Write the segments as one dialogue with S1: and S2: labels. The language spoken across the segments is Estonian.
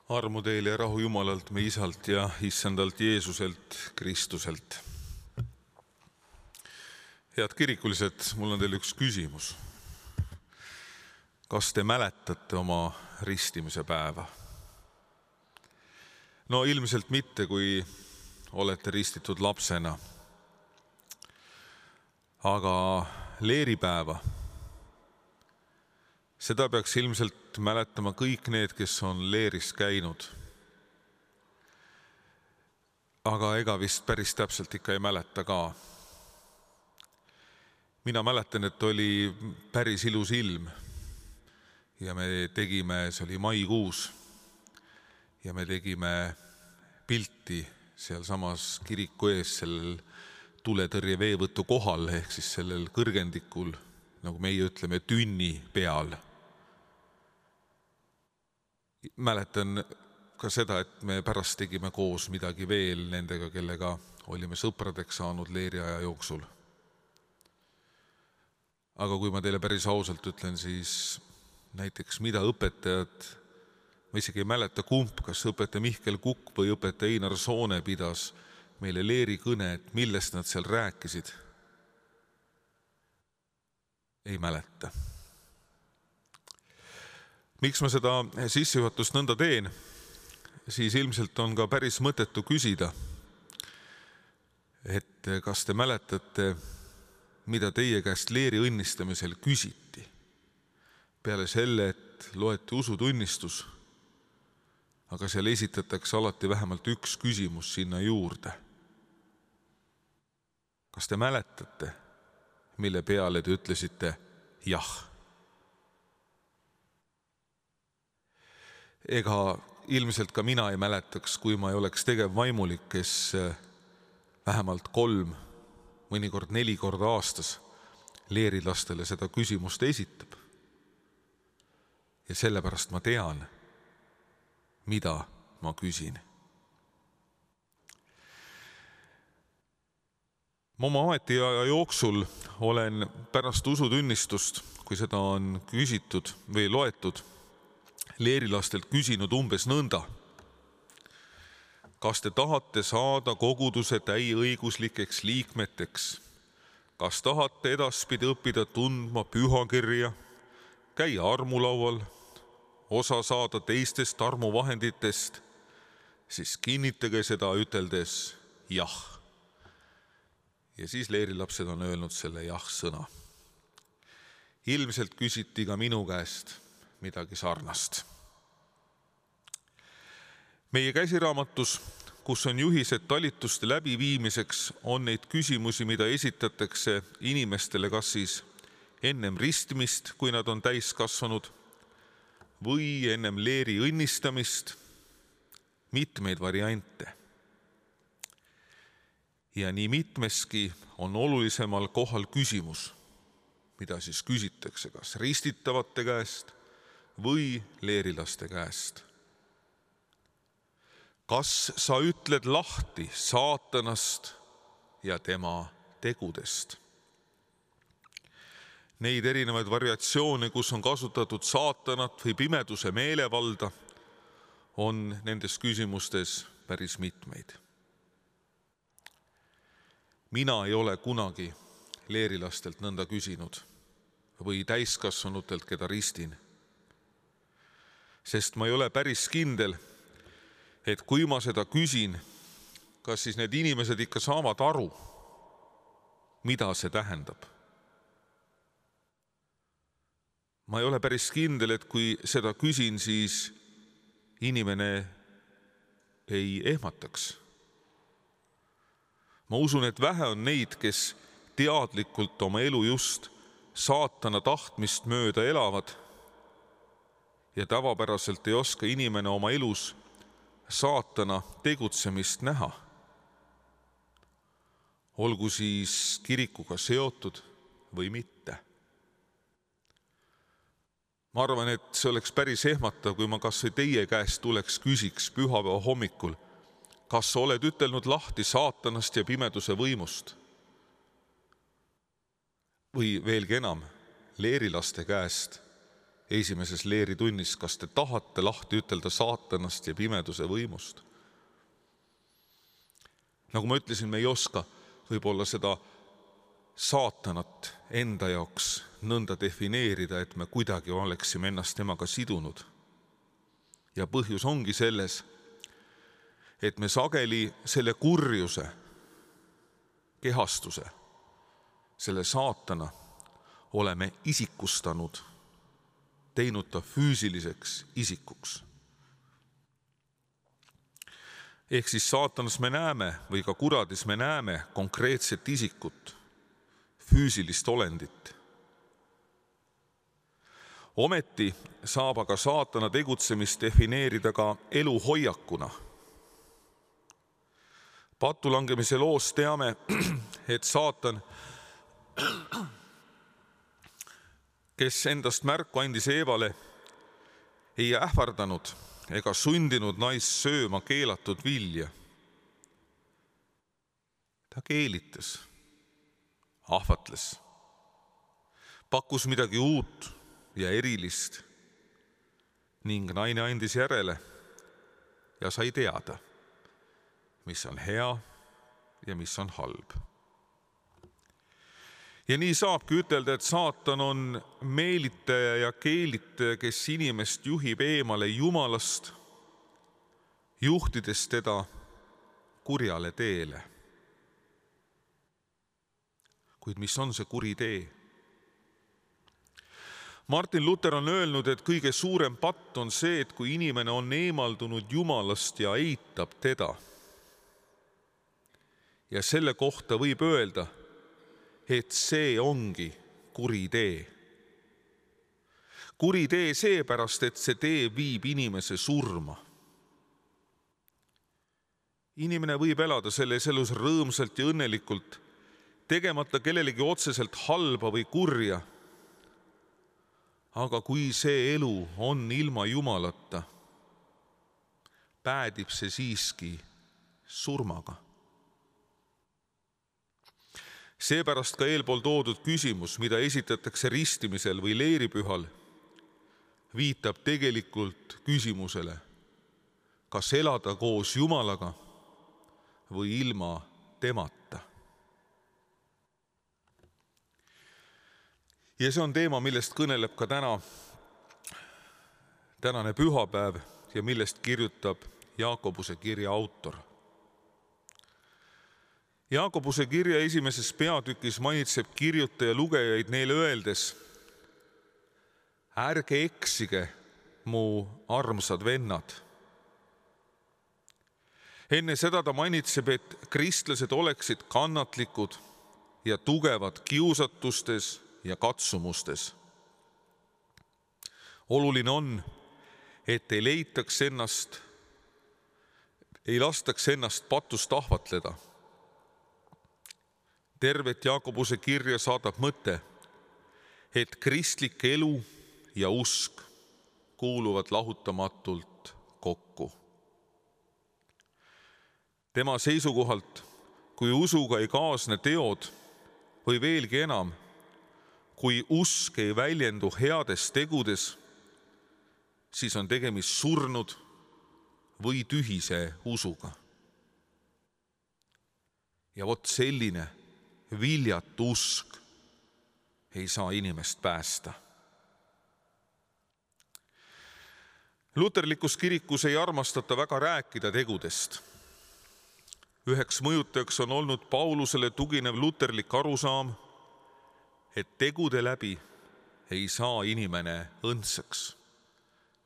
S1: Armu teile ja rahu Jumalalt, me Isalt ja Issandalt Jeesuselt, Kristuselt. Head kirikulised, mul on teile üks küsimus. Kas te mäletate oma ristimise päeva? No ilmselt mitte, kui olete ristitud lapsena. Aga leeripäeva, seda peaks ilmselt mäletama kõik need, kes on leeris käinud. Aga ega vist päris täpselt ikka ei mäleta ka. Mina mäletan, et oli päris ilus ilm ja me tegime, see oli maikuus, ja me tegime pilti seal samas kiriku ees sellel tuletõrje veevõtu kohal, ehk siis sellel kõrgendikul, nagu meie ütleme, tünni peal. Mäletan ka seda, et me pärast tegime koos midagi veel nendega, kellega olime sõpradeks saanud leeriaja jooksul. Aga kui ma teile päris ausalt ütlen, siis näiteks mida õpetajad, ma isegi ei mäleta kumb, kas õpetaja Mihkel Kukk või õpetaja Einar Soone pidas meile leeri kõne, et millest nad seal rääkisid. Ei mäleta. Miks ma seda sissejuhatust nõnda teen, siis ilmselt on ka päris mõttetu küsida, et kas te mäletate, mida teie käest leeri õnnistamisel küsiti. Peale selle, et loeti usutunnistus, aga seal esitatakse alati vähemalt üks küsimus sinna juurde. Kas te mäletate, mille peale te ütlesite jah? Ega ilmselt ka mina ei mäletaks, kui ma ei oleks tegevvaimulik, kes vähemalt 3, mõnikord 4 korda aastas leerilastele seda küsimust esitab. Ja sellepärast ma tean, mida ma küsin. Ma oma ametiaja jooksul olen pärast usutunnistust, kui seda on küsitud või loetud, leerilastelt küsinud umbes nõnda. Kas te tahate saada koguduse täieõiguslikeks liikmeteks? Kas tahate edaspidi õppida tundma pühakirja, käia armulaual, osa saada teistest armuvahenditest? Siis kinnitage seda üteldes jah. Ja siis leerilapsed on öelnud selle jah-sõna. Ilmselt küsiti ka minu käest midagi sarnast. Meie käsiraamatus, kus on juhised talituste läbiviimiseks, on neid küsimusi, mida esitatakse inimestele kas siis ennem ristimist, kui nad on täiskasvanud, või ennem leeri õnnistamist, mitmeid variante. Ja nii mitmeski on olulisemal kohal küsimus, mida siis küsitakse kas ristitavate käest või leerilaste käest. Kas sa ütled lahti saatanast ja tema tegudest? Neid erinevaid variatsioone, kus on kasutatud saatanat või pimeduse meelevalda, on nendes küsimustes päris mitmeid. Mina ei ole kunagi leerilastelt nõnda küsinud või täiskasvanutelt, keda ristin. Sest ma ei ole päris kindel, et kui ma seda küsin, kas siis need inimesed ikka saavad aru, mida see tähendab. Ma ei ole päris kindel, et kui seda küsin, siis inimene ei ehmataks. Ma usun, et vähe on neid, kes teadlikult oma elu just saatana tahtmist mööda elavad ja tavapäraselt ei oska inimene oma elus saatana tegutsemist näha. Olgu siis kirikuga seotud või mitte. Ma arvan, et see oleks päris ehmatav, kui ma kas või teie käest tuleks küsiks pühapäeva hommikul, kas sa oled ütelnud lahti saatanast ja pimeduse võimust? Või veelgi enam, leerilaste käest, esimeses leeritunnis, kas te tahate lahti ütelda saatanast ja pimeduse võimust? Nagu ma ütlesin, me ei oska võib-olla seda saatanat enda jaoks nõnda defineerida, et me kuidagi oleksime ennast temaga sidunud. Ja põhjus ongi selles, et me sageli selle kurjuse, kehastuse, selle saatana oleme isikustanud, teinud ta füüsiliseks isikuks. Ehk siis saatanas me näeme või ka kuradis me näeme konkreetset isikut, füüsilist olendit. Ometi saab aga saatana tegutsemist defineerida ka eluhoiakuna. Patulangemise loos teame, et saatan, kes endast märku andis Eevale, ei ähvardanud ega sundinud naist sööma keelatud vilja. Ta keelitas, ahvatles, pakkus midagi uut ja erilist ning naine andis järele ja sai teada, mis on hea ja mis on halb. Ja nii saabki ütelda, et saatan on meelitaja ja keelitaja, kes inimest juhib eemale Jumalast, juhtides teda kurjale teele. Kuid mis on see kuri tee? Martin Luther on öelnud, et kõige suurem patt on see, et kui inimene on eemaldunud Jumalast ja eitab teda. Ja selle kohta võib öelda, et see ongi kuri tee. Kuri tee seepärast, et see tee viib inimese surma. Inimene võib elada selles elus rõõmsalt ja õnnelikult, tegemata kellelegi otseselt halba või kurja. Aga kui see elu on ilma Jumalata, päädib see siiski surmaga. Seepärast ka eelpool toodud küsimus, mida esitatakse ristimisel või leeripühal, viitab tegelikult küsimusele, kas elada koos Jumalaga või ilma temata. Ja see on teema, millest kõneleb ka tänane pühapäev ja millest kirjutab Jaakobuse kirja autor. Jaakobuse kirja esimeses peatükis mainitseb kirjutaja lugejaid neile öeldes: ärge eksige, mu armsad vennad. Enne seda ta mainitseb, et kristlased oleksid kannatlikud ja tugevad kiusatustes ja katsumustes. Oluline on, et ei lastaks ennast patust ahvatleda. Tervet Jaakobuse kirja saadab mõte, et kristlik elu ja usk kuuluvad lahutamatult kokku. Tema seisukohalt, kui usuga ei kaasne teod või veelgi enam, kui usk ei väljendu heades tegudes, siis on tegemist surnud või tühise usuga. Ja vot selline viljatu usk ei saa inimest päästa. Luterlikus kirikus ei armastata väga rääkida tegudest. Üheks mõjutajaks on olnud Paulusele tuginev luterlik arusaam, et tegude läbi ei saa inimene õndsaks.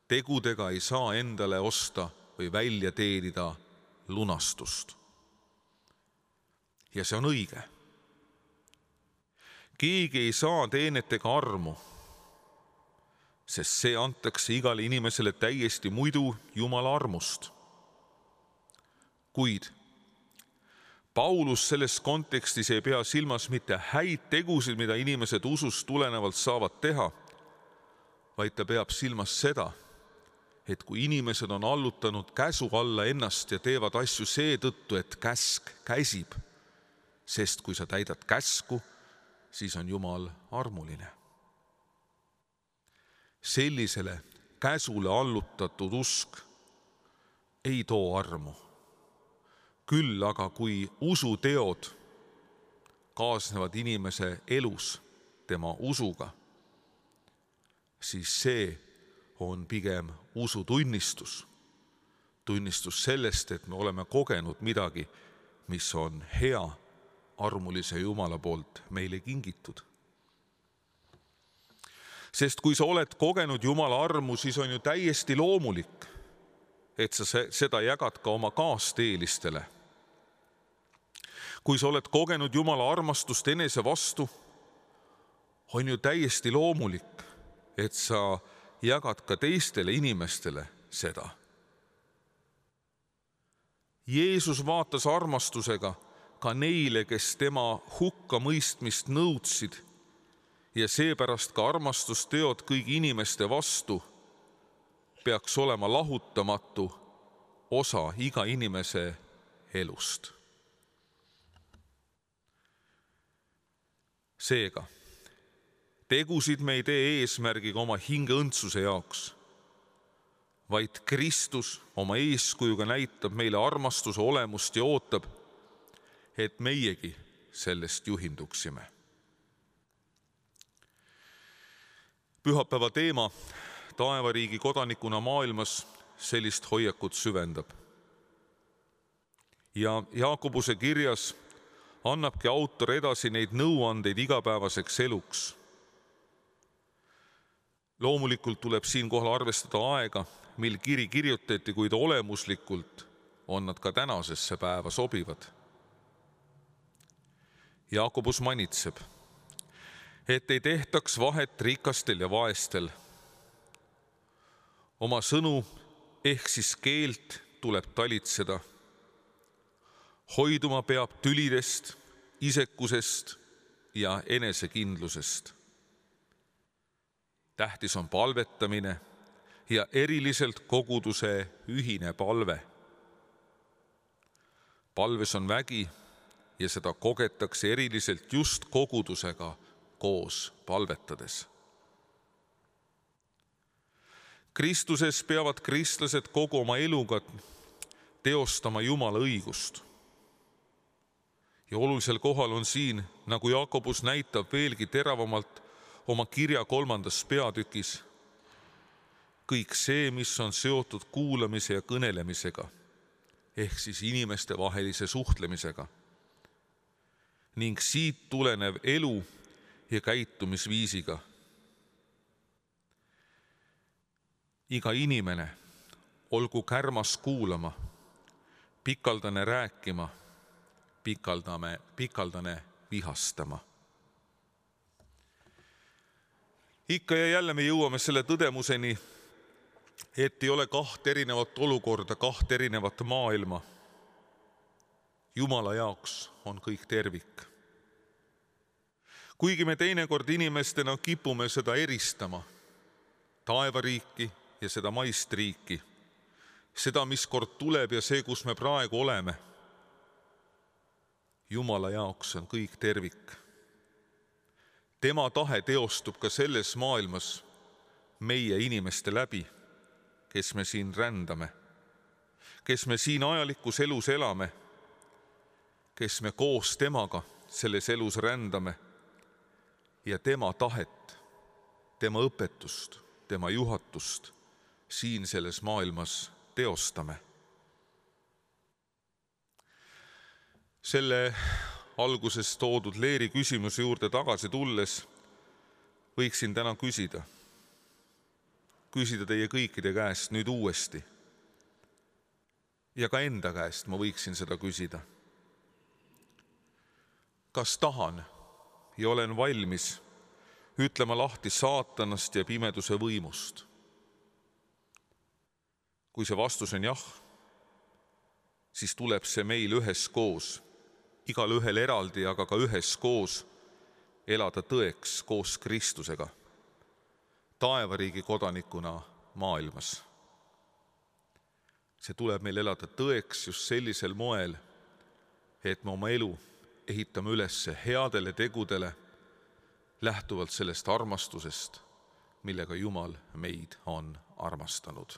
S1: Tegudega ei saa endale osta või välja teenida lunastust. Ja see on õige. Keegi ei saa teenetega armu, sest see antakse igale inimesele täiesti muidu Jumala armust. Kuid Paulus selles kontekstis ei pea silmas mitte häid tegusid, mida inimesed usust tulenevalt saavad teha, vaid ta peab silmas seda, et kui inimesed on allutanud käsu alla ennast ja teevad asju seetõttu, et käsk käsib, sest kui sa täidad käsku, siis on Jumal armuline. sellisele käsule allutatud usk ei too armu. Küll aga kui usuteod kaasnevad inimese elus tema usuga, siis see on pigem usutunnistus. Tunnistus sellest, et me oleme kogenud midagi, mis on hea armulise Jumala poolt meile kingitud. Sest kui sa oled kogenud Jumala armu, siis on ju täiesti loomulik, et sa seda jagad ka oma kaasteelistele. Kui sa oled kogenud Jumala armastust enese vastu, on ju täiesti loomulik, et sa jagad ka teistele inimestele seda. Jeesus vaatas armastusega ka neile, kes tema hukkamõistmist nõudsid, ja seepärast ka armastusteod kõigi inimeste vastu peaks olema lahutamatu osa iga inimese elust. Seega, tegusid me ei tee eesmärgiga oma hinge õndsuse jaoks, vaid Kristus oma eeskujuga näitab meile armastuse olemust ja ootab, et meiegi sellest juhinduksime. Pühapäeva teema taevariigi kodanikuna maailmas sellist hoiakut süvendab. Ja Jaakobuse kirjas annabki autor edasi neid nõuandeid igapäevaseks eluks. Loomulikult tuleb siinkohal arvestada aega, mil kiri kirjutati, kuid olemuslikult on nad ka tänasesse päeva sobivad. Jaakobus manitseb, et ei tehtaks vahet rikastel ja vaestel. Oma sõnu ehk siis keelt tuleb talitseda. Hoiduma peab tülidest, isekusest ja enesekindlusest. Tähtis on palvetamine ja eriliselt koguduse ühine palve. Palves on vägi ja seda kogetakse eriliselt just kogudusega koos palvetades. Kristuses peavad kristlased kogu oma eluga teostama Jumala õigust. Ja olulisel kohal on siin, nagu Jaakobus näitab veelgi teravamalt oma kirja 3. peatükis, kõik see, mis on seotud kuulamise ja kõnelemisega, ehk siis inimeste vahelise suhtlemisega, ning siit tulenev elu ja käitumisviisiga. Iga inimene olgu kärmas kuulama, pikaldane rääkima, pikaldane vihastama. Ikka ja jälle me jõuame selle tõdemuseni, et ei ole 2 erinevat olukorda, 2 erinevat maailma. Jumala jaoks on kõik tervik. Kuigi me teinekord inimestena kipume seda eristama, taevariiki ja seda maist riiki, seda, mis kord tuleb ja see, kus me praegu oleme, Jumala jaoks on kõik tervik. Tema tahe teostub ka selles maailmas meie inimeste läbi, kes me siin rändame, kes me siin ajalikus elus elame, kes me koos temaga selles elus rändame ja tema tahet, tema õpetust, tema juhatust siin selles maailmas teostame. Selle alguses toodud Leeri küsimuse juurde tagasi tulles võiksin täna küsida teie kõikide käest nüüd uuesti. Ja ka enda käest ma võiksin seda küsida. Kas tahan ja olen valmis ütlema lahti saatanast ja pimeduse võimust? Kui see vastus on jah, siis tuleb see meil üheskoos, igal ühel eraldi, aga ka üheskoos elada tõeks koos Kristusega, taevariigi kodanikuna maailmas. See tuleb meil elada tõeks just sellisel moel, et me oma elu ehitame üles headele tegudele, lähtuvalt sellest armastusest, millega Jumal meid on armastanud.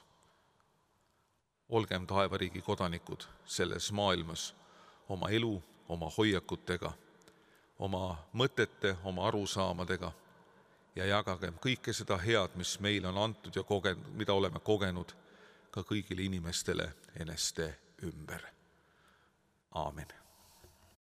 S1: Olgem taevariigi kodanikud selles maailmas oma elu, oma hoiakutega, oma mõtete, oma arusaamadega ja jagagem kõike seda head, mis meile on antud ja mida oleme kogenud, ka kõigile inimestele eneste ümber. Aamen.